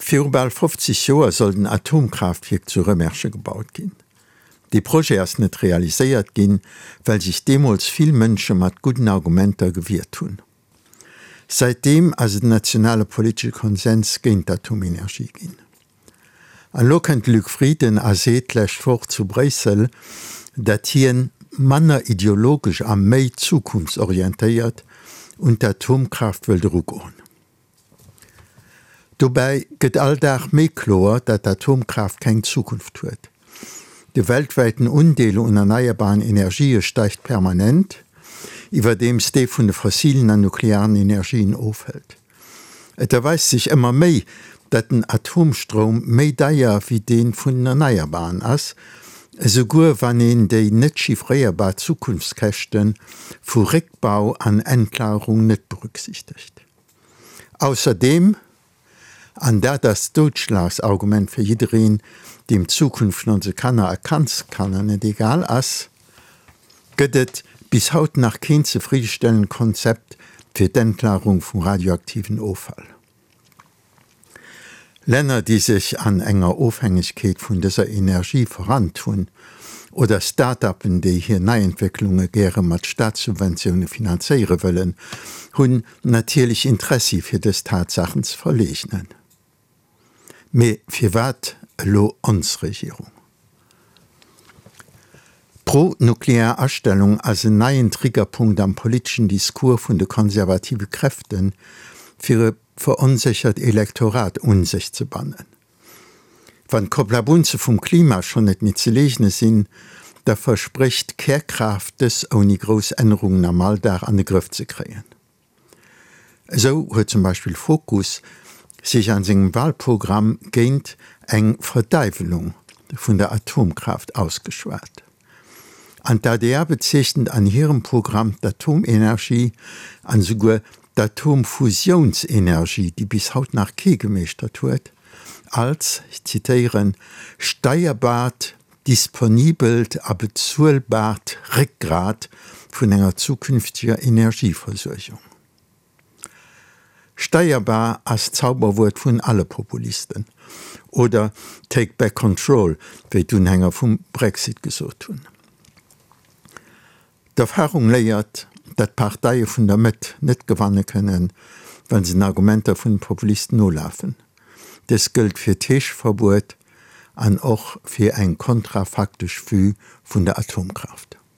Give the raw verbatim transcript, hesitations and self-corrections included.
Viru bal fofzeg Joer sollt en Atomkraaftwierk zu Rëmersche gebaut ginn. Dee Projet ass net realiséiert ginn, well sech deemools vill Mënsche mat gudden Argumenter gewiert hunn. Säitdeem ass et en nationale politesche Konsens géint d'Atomenergie ginn. An elo kënnt de Luc Frieden a seet d'lescht Woch zu Bréissel, datt hien manner ideologesch a méi zukunftsorientéiert un d'Atomkraaft wëllt erugoen. Dobäi gëtt all Dag méi kloer, datt d'Atomkraaft keng Zukunft huet. De weltwäiten Undeel un erneierbaren Energië steigt permanent, iwwerdeems dee vun de fossilen an nuklearen Energien ofhëlt. Et erweist sech ëmmer méi, datt den Atomstroum méi deier wéi dee vun den Erneierbaren ass, esouguer wann een déi net chiffréierbar Zukunftskäschte vu Réckbau an Endlagerung net berücksichtegt. Ausserdeem, an dat ass d'Doudschlagsargument fir jiddereen, deem d'Zukunft vun onse Kanner a Kandskanner net egal ass, gëtt et bis haut nach keen zefriddestellend Konzept fir d'Endlagerung vum radioaktiven Offall. Länner, déi sech an enger Ofhängegkeet vun dëser Energie verrannt hunn, oder Start-uppen, déi hir Neientwécklunge gäre mat Staatssubventioune finanzéiere wëllen, hunn natierlech Interessi fir dës Tatsaachen ze verleegnen. Mee firwat elo ons Regierung? D'pro-nuklear Astellung ass en neien Triggerpunkt am politeschen Discours vun de konservative Kräften, fir e veronséchert Elektorat un sech ze bannen. Wann d'Koplabunze vum Klima schonn net méi ze leegne sinn, da versprécht d'Kärkraaft dës ouni grouss Ännerungen am Alldag an de Grëff ze kréien. Esou huet zum Beispill Fokus sech an sengem Wahlprogramm géint eng Verdäiwelung vun der Atomkraaft ausgeschwat. An d'A D R bezeechent an hirem Programm d'Atomenergie an esouguer d'Atomfusiounsenergie, déi bis haut nach kee gemeeschtert huet, als, ech zitéieren, steierbaart, disponibelt a bezuelbaart Réckgrat vun enger zukünfteger Energieversuergung. Steierbar ass d'Zauberwuert vun alle Populisten. Oder Take back control, wéi d'Unhänger vum Brexit gesot hunn. D'Erfarung léiert, datt d'Parteie vun der Mëtt net gewanne kënnen, wa se den Argumenter vun de Populisten nolafen. Dëst gëllt fir d'Heescheverbuet an och fir eng kontrafaktesch Vue vun der Atomkraaft.